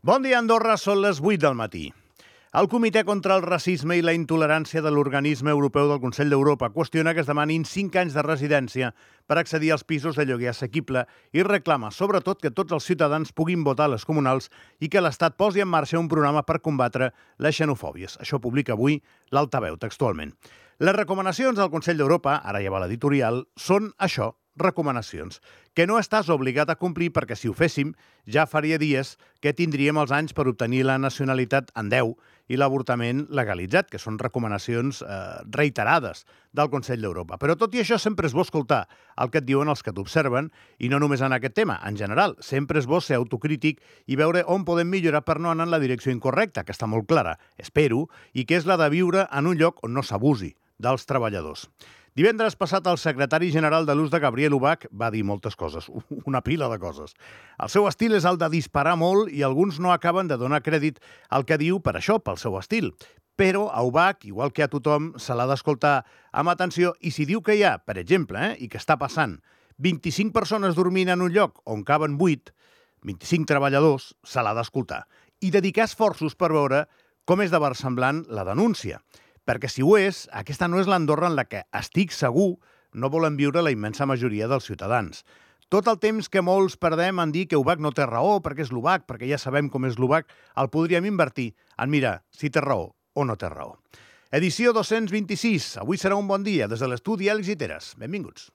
Bon dia, Andorra. Són les 8 del matí. El Comitè contra el Racisme i la Intolerància de l'Organisme Europeu del Consell d'Europa qüestiona que es demanin 5 anys de residència per accedir als pisos de lloguer assequible i reclama, sobretot, que tots els ciutadans puguin votar a les comunals i que l'Estat posi en marxa un programa per combatre les xenofòbies. Això publica avui l'Altaveu, textualment. Les recomanacions del Consell d'Europa, ara ja va l'editorial, són això, recomanacions, que no estàs obligat a complir perquè si ho féssim ja faria dies que tindríem els anys per obtenir la nacionalitat en 10 i l'avortament legalitzat, que són recomanacions reiterades del Consell d'Europa. Però tot i això sempre és bo escoltar el que et diuen els que t'observen i no només en aquest tema, en general. Sempre és bo ser autocrític i veure on podem millorar per no anar en la direcció incorrecta, que està molt clara, espero, i que és la de viure en un lloc on no s'abusi dels treballadors. Divendres passat, el secretari general de l'USDA, Gabriel Ubach, va dir moltes coses, una pila de coses. El seu estil és el de disparar molt i alguns no acaben de donar crèdit al que diu per això, pel seu estil. Però a Ubach, igual que a tothom, se l'ha d'escoltar amb atenció i si diu que hi ha, per exemple, i que està passant, 25 persones dormint en un lloc on caben 8, 25 treballadors, se l'ha d'escoltar. I dedicar esforços per veure com és de versemblant la denúncia. Perquè si ho és, aquesta no és l'Andorra en la que, estic segur, no volen viure la immensa majoria dels ciutadans. Tot el temps que molts perdem en dir que Ubach no té raó, perquè és l'Ubach, perquè ja sabem com és l'Ubach, el podríem invertir en mirar si té raó o no té raó. Edició 226. Avui serà un bon dia des de l'estudi Àlex Guiteras. Benvinguts.